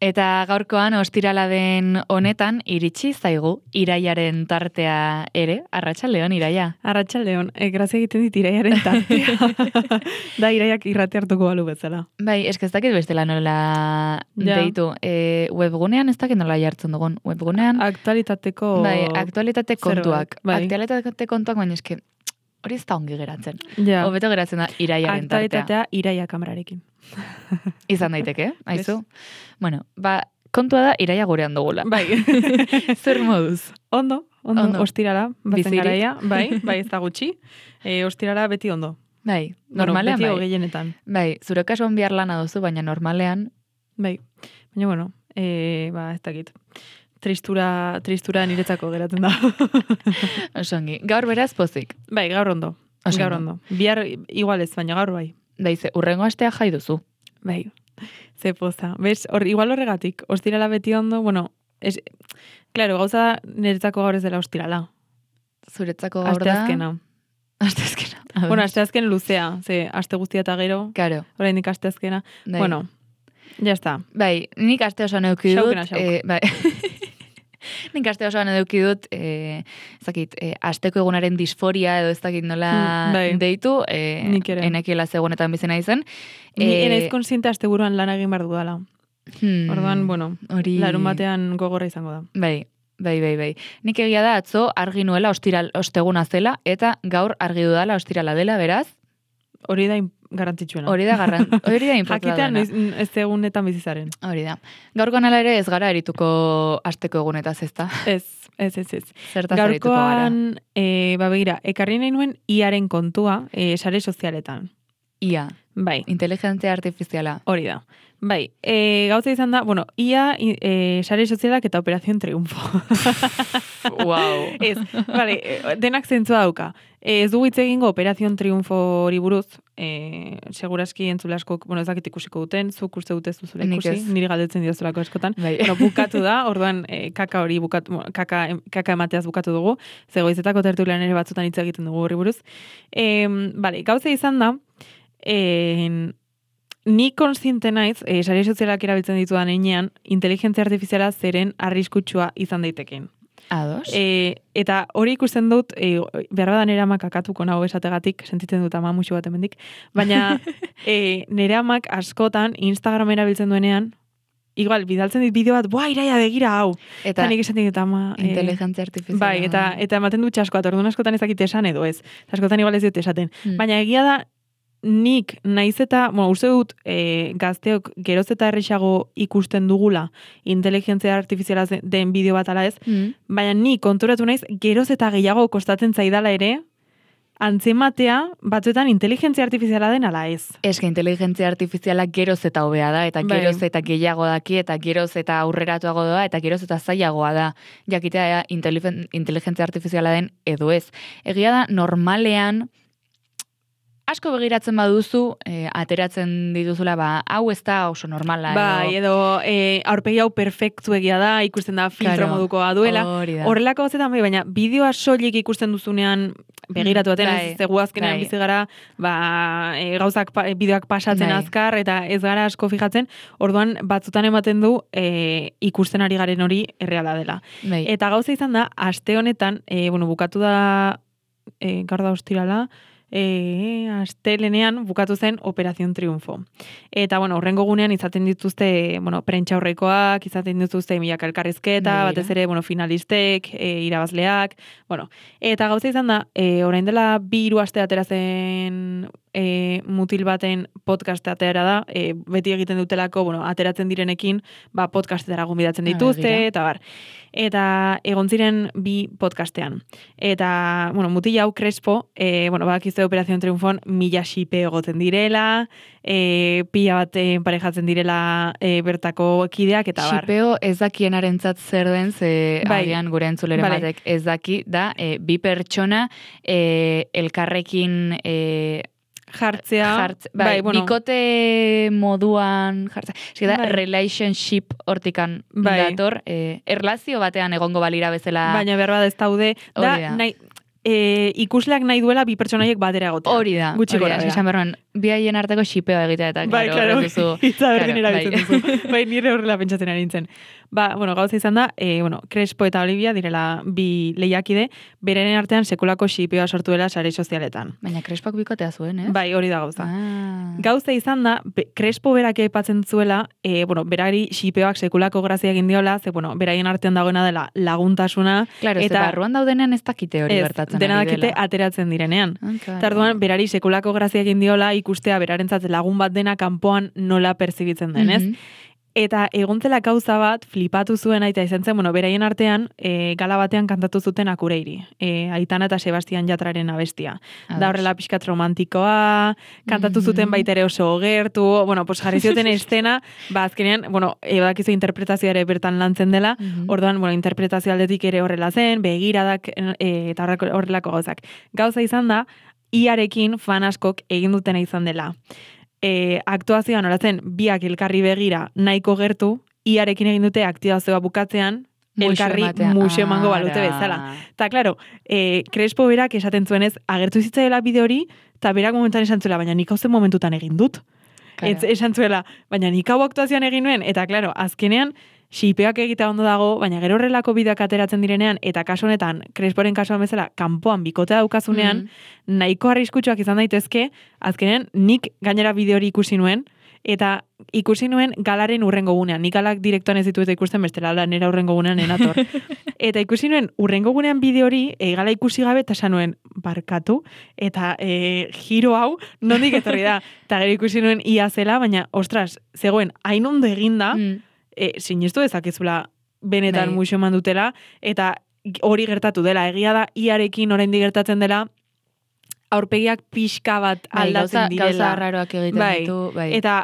Eta gaurkoan ostirala den honetan iritsi zaigu iraiaren tartea ere. Arratsaldeon, Iraia. Arratsaldeon, grazia egiten dit iraiaren tartea. Da iraiak irrate hartuko balu bezala. Bai, ez dakit bestela nola deitu. Webgunean ez dakit nola jartzen dugun. Webgunean... Aktualitateko... Bai, aktualitate kontuak. Bai. Aktualitate kontuak, baina eske hori ez da ongi geratzen. Ja. Hobeto geratzen da iraiaren tartea. Aktualitatea iraia kamerarekin. Izan daiteke, aizu. Bueno, kontua da iraia gurean dugula. Bai. Zer moduz? Ondo. Ostirala, bazen garaia. Bai, ez da gutxi. Ostirala beti ondo. Bai, normalean beti gehienetan. Bai, zure kasuan bihar lana duzu, baina normalean... Bai, baina bueno, ez dakit. Tristura niretzako geratzen da. Osongi, gaur beraz pozik. Bai, gaur ondo. Gaur ondo. Bihar igual ez, baina gaur bai. Daize, urrengo astea jai duzu. Bai, ze poza. Bez, igual horregatik, ostirala beti ondo, bueno, claro, gauza niretzako gaur ez dela ostirala. Zuretzako gaur da? Asteazkena. Bueno, asteazken luzea, ze aste guztia eta gero. Claro. Oraindik asteazkena. Bueno, ya está. Bai, nik aste osoan eduki dut. Bai. Nik aste osoan eduki dut, asteko egunaren disforia edo ez dakit nola deitu, enekiela zegonetan bizena izan. Ni enaiz konsiente aste buruan lan egin behar dudala. Orduan, bueno, larun batean gogorra izango da. Bai. Nik egia da atzo argi nuela osteguna zela, eta gaur argi dudala ostirala dela, beraz? Hori da garrantzitsuena. Hori da importantena. Jakitean ez egunetan bizizaren. Hori da. Gaurkoan ala ere ez gara erituko asteko egunetaz, ezta? Ez. Zertaz erituko gara? Gaurkoan, begira, ekarri nahi nuen iaren kontua sare sozialetan. Ia. Bai. Inteligentzia artifiziala. Hori da. Bai, gauza izan da, bueno, ia sare sozialak eta Operación Triunfo. Wow. Ez, vale, denak zentzua dauka. Ez dugu hitz egingo Operación Triunfo hori buruz, seguraski entzule askok, bueno, ez dakit ikusiko duten, zuk uste dute zuzula ikusi, niri galdetzen diozulako eskotan. Bai. Bueno, bukatu da, orduan kaka hori bukatu, kaka emateaz bukatu dugu, zegoizetako tertulian ere batzutan hitz egiten dugu hori buruz. Vale, gauza izan da, ni konsiente naiz, sare sozialak erabiltzen ditudan heinean, inteligentzia artifiziala zeren arriskutsua izan daiteken. Ados. Eta hori ikusten dut, behar badan nire amak akatuko nago esategatik, sentitzen dut ama musu bat emendik, baina nire amak askotan Instagram erabiltzen duenean, igual, bidaltzen dit bideo bat, Iraia begira hau. Eta nik esaten dut ama... Inteligentzia artifiziala. Bai, eta ematen dut txaskoat, orduan askotan ezakit esan edo ez. Askotan igual ez dut esaten. Baina egia da, nik naiz eta, bueno, uste dut gazteok geroz eta errexago ikusten dugula inteligentzia artifiziala den bideo bat ala ez, baina nik konturatu naiz geroz eta gehiago kostatzen zaidala ere, antzematea batzuetan inteligentzia artifiziala den ala ez. Eske inteligentzia artifiziala geroz eta hobea da, eta geroz eta gehiago daki, eta geroz eta aurreratuago da, eta geroz eta zailagoa da. Jakitea inteligentzia artifiziala den edo ez. Egia da, normalean, asko begiratzen baduzu, ateratzen dituzula, hau ez da oso normala. Bai, edo aurpegi hau perfektu egia da, ikusten da filtro modukoa duela. Horrelako bazetan bai, baina bideoa soilik ikusten duzunean begiratu baten, ez zegu azkenean bizi gara, gauzak bideoak pasatzen azkar, eta ez gara asko fijatzen, orduan batzutan ematen du ikusten ari garen hori erreala dela. Eta gauza izan da, aste honetan, bukatu da, gaur da ostirala, astelenean bukatu zen Operación Triunfo. Eta, horrengo gunean izaten dituzte, prentxaurrekoak, izaten dituzte milaka elkarrizketa, batez ere, finalistek, irabazleak, eta gauza izan da, orain dela 2 aste atera zen mutil baten podcast atera da, beti egiten dutelako, ateratzen direnekin, podcastetara gonbidatzen dituzte, eta bar. Eta egon ziren 2 podcastean. Eta, mutil hau Crespo, bakizte Operación Triunfon 1000 xipe egoten direla, pila bat parejatzen direla bertako kideak, eta bar. Xipeo ez dakienaren zer den, ze agian gure entzuleren batek ez daki, da, 2 pertsona elkarrekin jartzea, bikote moduan jartzea. Eski da, relationship hortikan dator, erlazio batean egongo balira bezala. Baina behar bada ez daude, da, ikusleak nahi duela 2 pertsonaiek batera egotea. Hori da, gutxi gora. Esan berroan, biaien arteko xipeo egitea eta claro, hitza berdin erabiltzen duzu. Bai, nire horrela pentsatzen ari nintzen. Gauza izan da, Crespo eta Olivia direla bi lehiakide, berenen artean sekulako xipeoa sortu dela sare sozialetan. Baina Crespok bikotea zuen, ez? Bai, hori da gauza. Gauza izan da, Crespo berak aipatzen zuela, berari xipeoak sekulako grazia egin diola, ze, beraien artean dagoena dela laguntasuna. Claro, eta barruan daudenean ez dakite hori gertatzen ari dela. Dena dakite ateratzen direnean. Tarduan, berari sekulako grazia egin diola, ikustea berarentzat lagun bat dena kanpoan nola perzibitzen den, ez? Eta egontzela gauza bat, flipatu zuen aita izan zen, beraien artean, gala batean kantatu zuten Akureiri. Aitana eta Sebastian Jatraren abestia. Da horrela pixkat romantikoa, kantatu zuten baita ere oso gertu, jarri zioten estena, azkenean, ebakizu interpretazioa ere bertan lantzen dela, orduan, interpretazio aldetik ere horrela zen, begiradak eta horrelako gauzak. Gauza izan da, iarekin fan askok egin dutena izan dela. Aktuazioan horatzen biak elkarri begira nahiko gertu, iarekin egin dute aktuazioa bukatzean, elkarri museo emango balute bezala. Ta, klaro, Crespo berak esaten zuenez, agertu zitzaela bide hori, eta berak momentuan esan zuela, baina nik hau zen momentutan egin dut. Esan zuela, baina nik hau aktuazioan egin nuen, eta, klaro, azkenean, xipeak egitea ondo dago, baina gero horrelako bideak ateratzen direnean, eta kasu honetan, Cresporen kasuan bezala, kanpoan bikotea daukazunean, nahiko arriskutsuak izan daitezke, azkenean nik gainera bideo hori ikusi nuen, eta ikusi nuen galaren urrengo gunean. Nik galak direktoan ez ditu eta ikusten bestela, nera urrengo gunean enator. Eta ikusi nuen urrengo gunean bideo hori, gala ikusi gabe, eta esan nuen barkatu, eta giro hau, nondik etorri da. Eta gero ikusi nuen ia zela, baina, ostras, zegoen, hain ondo eginda, sinestu dezakezula benetan museo eman dutela, eta hori gertatu dela. Egia da, iarekin oraindik gertatzen dela, aurpegiak pixka bat aldatzen direla. Gauza arraroak egiten ditu. Eta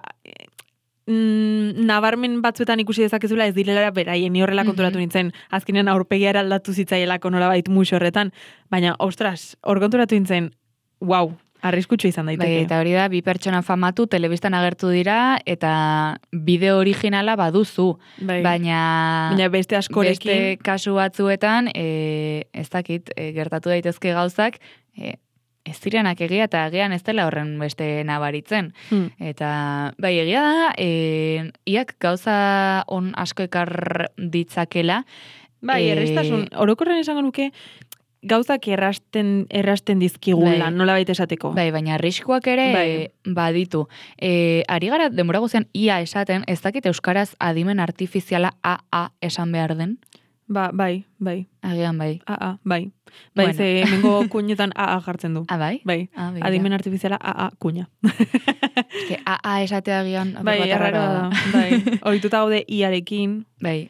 nabarmen batzuetan ikusi dezakezula ez direla beraien, ni horrela konturatu nintzen, azkenean aurpegia aldatu zitzaielako nolabait museo horretan, baina, ostras, hor konturatu nintzen, wow, arriskutsu izan daiteke. Eta hori da, bi pertsona famatu, telebistan agertu dira, eta bideo originala baduzu. Baina beste askorekin. Beste kasu batzuetan, ez dakit, gertatu daitezke gauzak, ez direnak egia, eta egian ez dela horren beste nabaritzen. Eta, egia da, iak gauza on asko ekar ditzakela. Errestasun, orokorren esango nuke, gauzak errasten dizkigula, nola baita esateko. Baina arriskuak ere baditu. Ari gara, denbora guzian, ia esaten, ez dakit euskaraz adimen artifiziala AA esan behar den? Bai. Agian bai. AA, bai. Ze mengo kuñetan AA jartzen du. Bai? Bai. Adimen artifiziala AA kuña. AA esatea agian. Erraro da. Horituta gaude iarekin. Bai.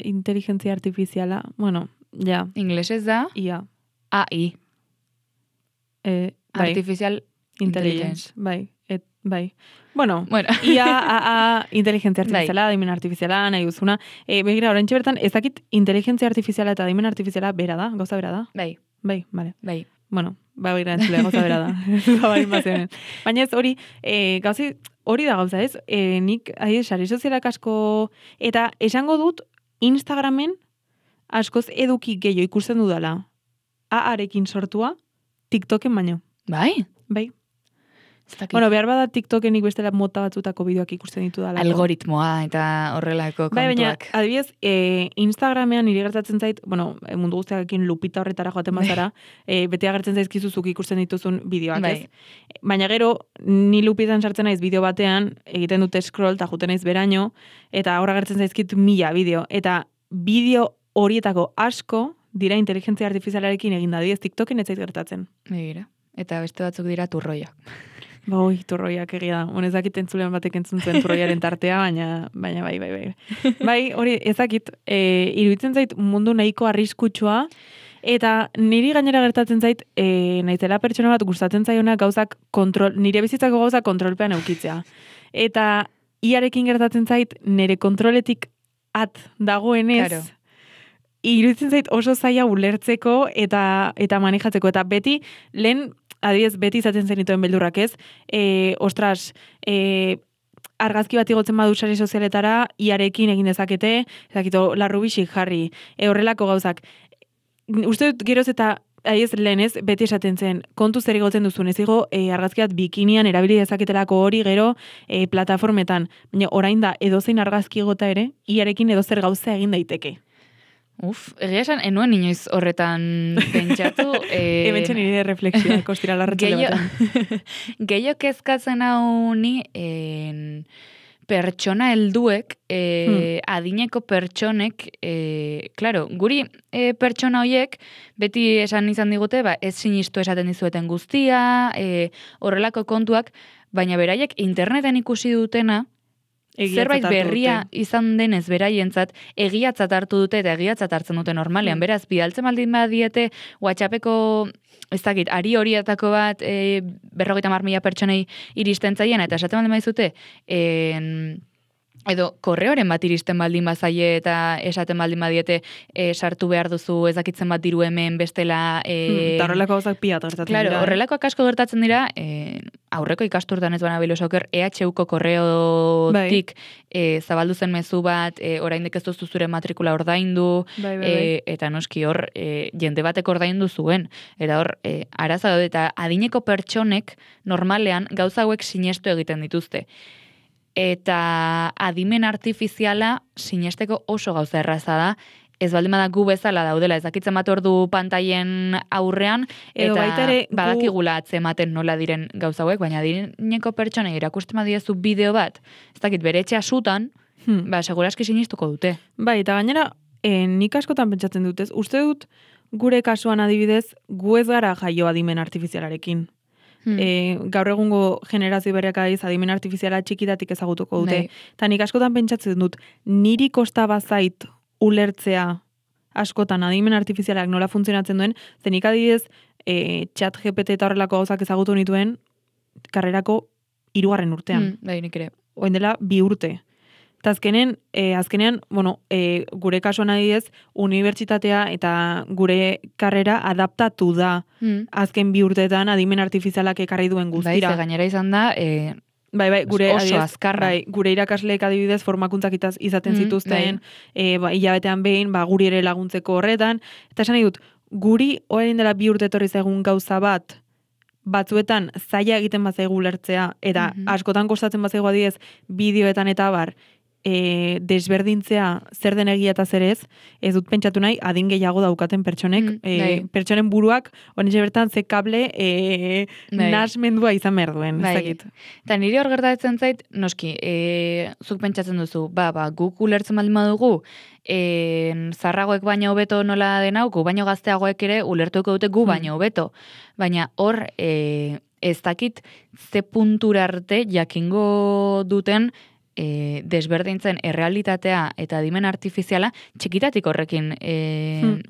Inteligentzia artifiziala, ja. Inglesez da? IA. AI. Artificial Intelligence. Bai. IA, AA, inteligentzia artifiziala, adimen artifiziala, nahi duzuna. Begira, oraintxe bertan, ez dakit inteligentzia artifiziala eta adimen artifiziala bera da? Gauza bera da? Bai, bale. Bai. Begira entzule, gauza bera da. Baina ez hori, gauzi, hori da gauza ez, nik, sare sozialak asko, eta esango dut, Instagramen, askoz eduki gehiago ikusten dudala. AA-arekin sortua, TikToken baino. Bai? Bai. Behar bada TikToken bestela mota batzutako bideoak ikusten ditu dala. Algoritmoa eta horrelako kontuak. Baina, adibidez, Instagramean nire gertatzen zait, mundu guztiakekin lupita horretara joaten bazara, bete agertzen zaizkizuzuk ikusten dituzun bideoak, ez? Baina gero, ni lupitan sartzen naiz bideo batean, egiten dute scroll, eta juten naiz beraino, eta horra gertzen zaizkit 1000 bideo. Eta bideo horietako asko dira inteligentzia artifizialarekin egin da, TikToken ez zait gertatzen. Begira. Eta beste batzuk dira turroiak. Turroiak egia da. Honezakit entzulean batek entzun zuen turroiaren tartea, baina bai. Bai, hori ezakit, iruditzen zait mundu nahiko arriskutsua, eta niri gainera gertatzen zait, naizela pertsona bat gustatzen zaiona gauzak nire bizitzako gauzak kontrolpean eukitzea. Eta iarekin gertatzen zait, nire kontroletik at dagoenez, claro. Iruditzen zait oso zaila ulertzeko eta manejatzeko. Eta beti, adibidez, beti izaten zenituen beldurrak ez, argazki bat igotzen badu sare sozialetara, iarekin egin dezakete, ezakito, larrubixik jarri, horrelako gauzak. Uste dut geroz eta Aiz, lehenez, beti esaten zen, kontu zer igotzen duzun, ez igo, argazkiat bikinian erabili dezaketelako hori gero plataformetan. Baina orain da, edozein argazki igota ere, iarekin edozer gauza egin daiteke. Egia esan, enuen inoiz horretan pentsatu. Hementxe nire refleksioa, kostira larratzele baten. Gehiok kezkatzen hau ni, pertsona helduek, adineko pertsonek, claro, guri pertsona hoiek, beti esan izan digute, ez sinistu esaten dizueten guztia, horrelako kontuak, baina beraiek interneten ikusi dutena, zerbait berria izan denez beraientzat, egiatzat hartu dute eta egiatzat hartzen dute normalean. Beraz, bidaltzen baldin badiete, WhatsAppeko, ez dakit, ari horietako bat 50.000 pertsonei iristen zaien, eta esaten baldin badizute, edo korreoren bat iristen baldin bazaie eta esaten baldin badiete sartu behar duzu ezakitzen bat diru hemen bestela... Eta horrelako gauzak piat gertatzen dira. Claro, horrelakoak asko gertatzen dira, aurreko ikasturtan ez bana bilosoker, EHUko korreotik zabaldu zen mezu bat, oraindik ez duzu zure matrikula ordaindu, eta noski hor, jende batek ordaindu zuen. Eta hor, araza daude, eta adineko pertsonek normalean gauza hauek sinestu egiten dituzte. Eta adimen artifiziala sinesteko oso gauza erraza da, ez baldin bada gu bezala daudela, ez dakitzen bat ordu pantaien aurrean, eta badakigula atzematen nola diren gauza hauek, baina adineko pertsonei erakusten badiezu bideo bat, ez dakit bere etxea sutan, seguraski sinestuko dute. Bai, eta gainera, nik askotan pentsatzen dut, uste dut gure kasuan adibidez, gu ez gara jaio adimen artifizialarekin. Gaur egungo generazio berriak adimen artifiziala txikitatik ezagutuko dute. Eta nik askotan pentsatzen dut, niri kosta bazait ulertzea askotan adimen artifizialak nola funtzionatzen duen, zenik adibidez chat GPT eta horrelako gauzak ezagutu nituen karrerako 3. urtean. Nik ere. Oen dela 2 urte. Eta azkenean, gure kasuan adibidez, unibertsitatea eta gure karrera adaptatu da azken 2 urteetan adimen artifizialak ekarri duen guztira. Bai, gainera izan da, gure oso azkarra. Gure irakasleek adibidez formakuntzak izaten zituzten, hilabetean behin, guri ere laguntzeko horretan. Eta esan nahi dut, guri orain dela 2 urte etorri zaigun gauza bat, batzuetan zaila egiten bazaigu ulertzea, eta askotan kostatzen bazaigu adibidez bideoetan eta bar, desberdintzea zer den egia eta zer ez dut pentsatu nahi adin gehiago daukaten pertsonek, pertsonen buruak, honetxe bertan ze kable nasmendua izan behar duen. Eta niri hor gertatzen zait, noski, zuk pentsatzen duzu, guk ulertzen baldin badugu, zarragoek baino hobeto nola den hau, gu baino gazteagoek ere ulertuko dute gu baino hobeto. Baina hor, ez dakit ze puntura arte jakingo duten desberdintzen errealitatea eta adimen artifiziala txikitatik horrekin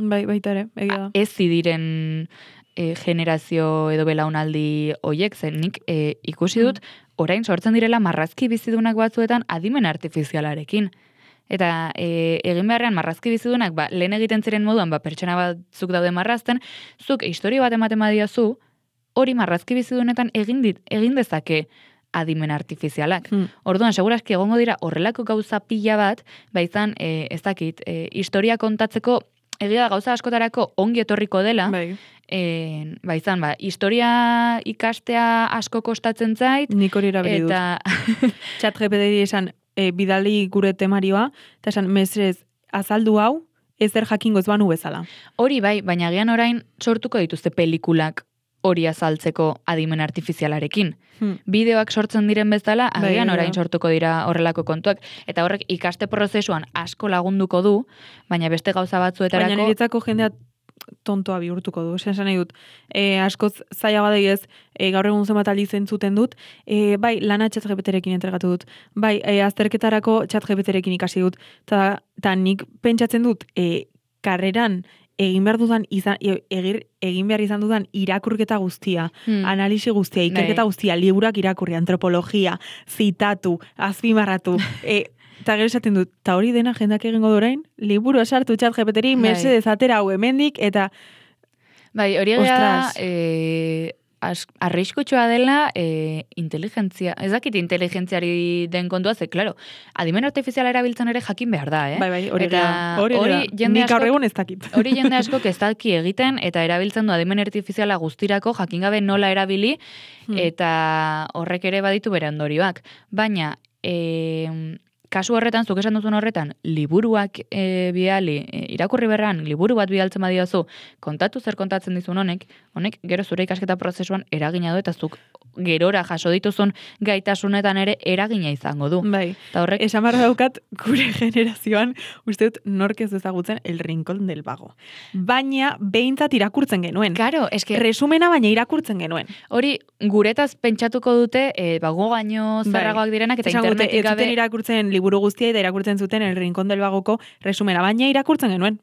baita ere, egia. Ez zidiren generazio edo belaunaldi hoiek zen nik ikusi dut orain sortzen direla marrazki bizidunak batzuetan adimen artifizialarekin. Eta egin beharrean marrazki bizidunak lehen egiten ziren moduan pertsona batzuk daude marrazten, zuk historia bat ematen badiazu, hori marrazki bizidunetan egin dezake adimen artifizialak. Orduan, segurazki egongo dira horrelako gauza pila bat, izan, ez dakit, historia kontatzeko egia da gauza askotarako ongi etorriko dela, izan, historia ikastea asko kostatzen zait. Nik hori erabili dut. Chat GPT esan, bidali gure temarioa, eta esan, mesrez, azaldu hau, ezer jakingo ez banu bezala. Hori baina gian orain sortuko dituzte pelikulak hori azaltzeko adimen artifizialarekin. Bideoak sortzen diren bezala, agian orain sortuko dira horrelako kontuak. Eta horrek ikaste prozesuan asko lagunduko du, baina beste gauza batzuetarako... Baina niretzako jendea tontoa bihurtuko du. Esan nahi dut, askoz zaila badaiez, gaur egun zenbat aldiz entzuten dut, lana ChatGPT-rekin entregatu dut, azterketarako ChatGPT-rekin ikasi dut, eta nik pentsatzen dut, karreran egin behar izan dudan irakurketa guztia, analisi guztia, ikerketa guztia, liburak irakurri, antropologia, zitatu, azpimarratu, eta gero esaten dut, eta hori dena jendak egingo dorain, liburu esartu ChatGPT-ri, mesedez atera hau hemendik, eta... Hori egia da, arriskutsua dela inteligentzia, ez dakit inteligentziari den kontua, ze, klaro, adimen artifiziala erabiltzen ere jakin behar da, Bai, hori da. Nik gaur egun ez dakit. Hori jende askok ez daki egiten, eta erabiltzen du adimen artifiziala guztirako jakin gabe nola erabili, eta horrek ere baditu bere ondorioak. Baina, kasu horretan, zuk esan duzun horretan, liburuak bidali, irakurri berran, liburu bat bidaltzen badiozu, kontatu zer kontatzen dizun honek gero zure ikasketa prozesuan eragina du, eta zuk gerora jaso dituzun gaitasunetan ere eragina izango du. Bai, eta horrek... esan barra daukat, gure generazioan, uste dut nork ez ezagutzen El Rincón del Vago. Baina, behintzat irakurtzen genuen. Claro, eske... Resumena baina irakurtzen genuen. Hori, guretaz pentsatuko dute, bago gaino zarragoak direnak, eta internetik gabe... Ez zuten irakurtzen liburu guztia, eta irakurtzen zuten El Rincón del Vagoko resumena, baina irakurtzen genuen.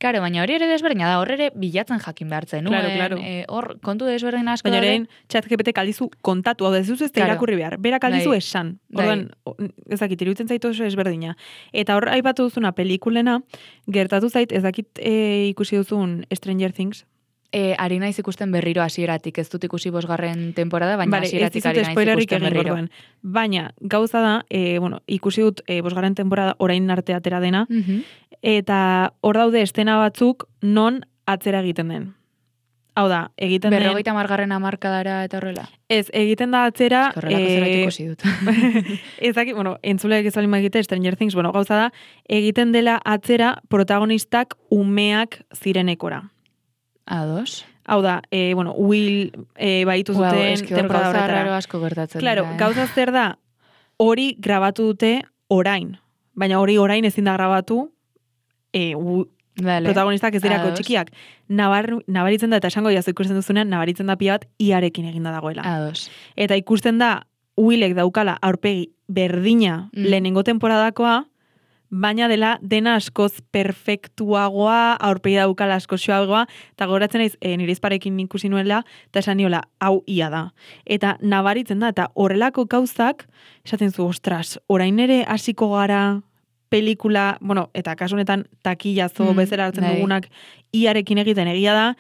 Claro, baina hori ere desberdina da, hor ere bilatzen jakin behartzen nuen. Claro. Hor, kontu desberdin asko baina orain, ChatGPT aldizu kontatu, hau dezuz ez da irakurri behar. Berak aldizu esan. Orduan, ezakit, iruditzen zaitu oso ezberdina. Eta hor, aipatu duzuna pelikulena, gertatu zait, ezakit ikusi duzun Stranger Things. Ari naiz ikusten berriro hasieratik, ez dut ikusi 5. temporada, baina hasieratik ari naiz ikusten berriro. Baina, gauza da, ikusi dut 5. temporada orain arte atera dena, eta hor daude estena batzuk non atzera egiten den. Hau da, egiten den... 50. hamarkadara eta horrela? Ez, egiten da atzera... Horrelako zerbait ikusi dut. Ezakit, entzuleak ez alima egite, Stranger Things, gauza da, egiten dela atzera protagonistak umeak zirenekora. Ados. Hau da, Will baitu zuten temporada horretara. Gauza raro asko gertatzen. Claro, gauza zer da, hori grabatu dute orain. Baina hori orain ezin da grabatu protagonistak ez dirako txikiak. Nabaritzen da, eta esango jazu ikusten duzunean, nabaritzen da pila bat iarekin eginda dagoela. Ados. Eta ikusten da, Willek daukala aurpegi berdina lehenengo temporadakoa, baina dena askoz perfektuagoa, aurpegi daukala asko xoagoa, eta goratzen naiz, nire izparekin ikusi nuela, eta esan niola, hau ia da. Eta nabaritzen da, eta horrelako gauzak, esaten zu, ostras, orain ere hasiko gara pelikula, eta kasunetan takillazo bezala hartzen dugunak iarekin egiten egia da,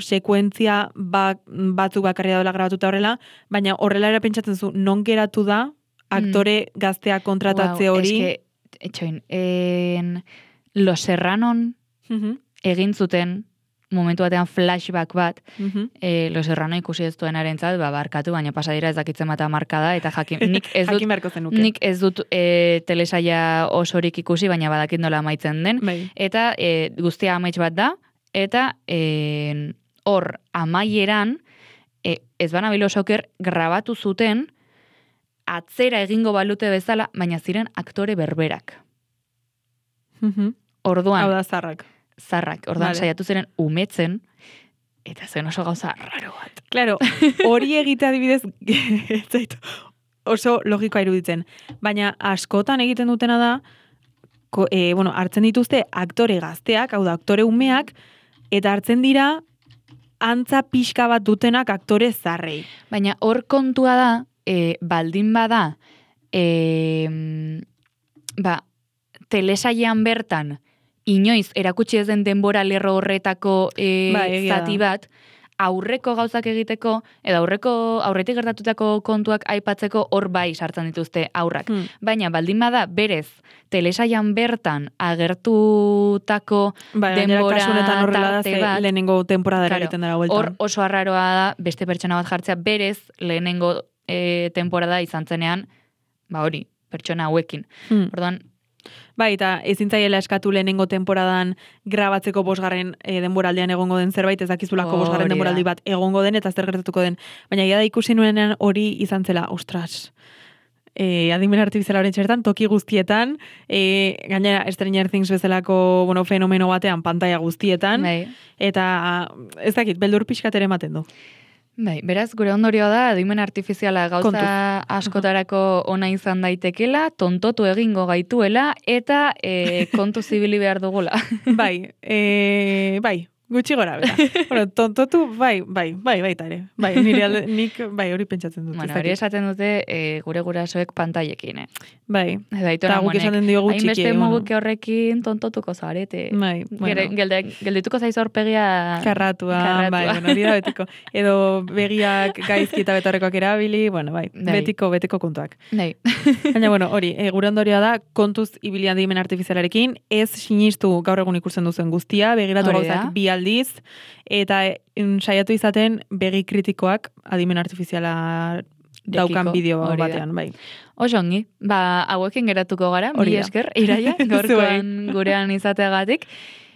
sekuentzia batzuk bakarri dela grabatuta horrela, baina horrela ere pentsatzen zu, non geratu da aktore gaztea kontratatze hori. Etxoin, Los Serranon egin zuten momentu batean flashback bat, Los Serrano ikusi ez duenarentzat, barkatu, baina pasadira ez dakitzen bat markada, eta nik ez dut telesaia osorik ikusi, baina badakit nola amaitzen den, eta guztia amaitz bat da, eta hor amaieran, ez banabilo soker grabatu zuten, atzera egingo balute bezala, baina ziren aktore berberak. Orduan... Hau da, zarrak. Orduan saiatu ziren umetzen, eta zen oso gauza raro bat. Claro, hori egite adibidez, oso logikoa iruditzen. Baina askotan egiten dutena da, hartzen dituzte aktore gazteak, hau da, aktore umeak, eta hartzen dira antza pixka bat dutenak aktore zarrei. Baina hor kontua da, baldin bada, telesailean bertan, inoiz erakutsi ez den denbora lerro horretako zati bat, aurreko gauzak egiteko, edo aurretik gertatutako kontuak aipatzeko hor bai sartzen dituzte aurrak. Baina baldin bada berez, telesailean bertan agertutako denbora tarte bat, lehenengo temporada egiten dara bueltan. Hor oso arraroa da beste pertsona bat jartzea berez lehenengo temporada izan zenean, hori, pertsona hauekin. Orduan, bai, eta ezin zaiela eskatu lehenengo temporadan grabatzeko 5. denboraldian egongo den zerbait, ez dakizulako 5. denboraldi bat egongo den, eta zer gertatuko den. Baina da ikusi nuenean hori izan zela, ostras, adimen artifiziala horren txertan, toki guztietan, gainera Stranger Things bezalako fenomeno batean, pantalla guztietan, eta ez dakit, beldur pixkat ere ematen du. Bai, beraz, gure ondorioa da, adimen artifiziala gauza askotarako ona izan daitekela, tontotu egingo gaituela, eta kontu zibili behar dugula. Bai, Gutxi gora, bera. Bueno, tontotu, baita ere. Nik hori pentsatzen dut. Bueno, hori esaten dute gure gurasoek pantailekin, Bai. Eta guk esaten diogu txiki. Hainbeste muguke horrekin tontotuko zarete. Bai, bueno. Geldituko zaiz aurpegia... Karratua. Bai, bueno, hori da betiko. Edo begiak gaizki eta betarrekoak erabili, bueno, bai. Betiko kontuak. Bai. Baina, bueno, hori, gure ondorioa da, kontuz ibilian adimen artifizialarekin, ez sinistu gaur egun ikusten duzen guztia, begiratu gauzak bi aldiz, eta saiatu izaten begi kritikoak adimen artifiziala daukan bideo batean, bai. Osongi, hauekin geratuko gara, mi esker, Iraia, gaurkoan gurean izateagatik,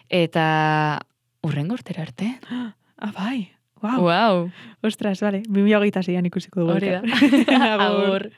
eta urrengo urtera arte. Bai, wow. Wow. Ostras, vale, 2026an ikusiko dugu. Hori da. Agur.